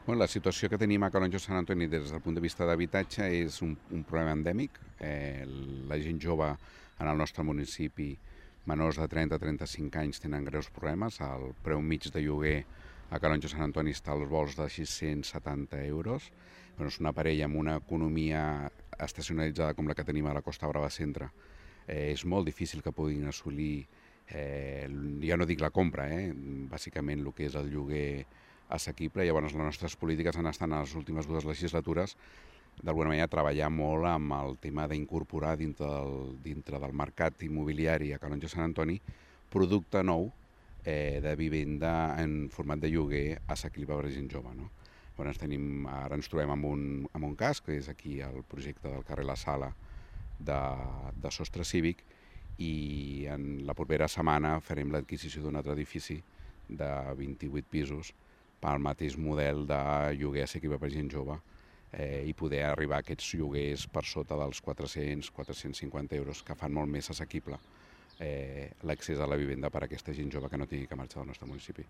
La situació que tenim a Calonge Sant Antoni des del punt de vista d'habitatge és un problema endèmic. La gent jove en el nostre municipi, menors de 30 a 35 anys, tenen greus problemes. El preu mig de lloguer a Calonge Sant Antoni està als volts de 670 euros. És una parella amb una economia estacionalitzada com la que tenim a la Costa Brava Centre. És molt difícil que puguin assolir, ja no dic la compra, bàsicament el que és el lloguer assequible. Llavors les nostres polítiques han estat en les últimes 2 legislatures d'alguna manera treballar molt amb el tema d'incorporar dintre del mercat immobiliari a Calonge Sant Antoni producte nou de vivenda en format de lloguer assequible per a gent jove. No? Llavors ara ens trobem amb un cas, que és aquí el projecte del carrer La Sala de sostre cívic, i en la propera setmana farem l'adquisició d'un altre edifici de 28 pisos pel mateix model de lloguer assequible per gent jove i poder arribar a aquests lloguers per sota dels 400-450 euros, que fan molt més assequible l'accés a la vivenda per a aquesta gent jove que no tingui que marxar del nostre municipi.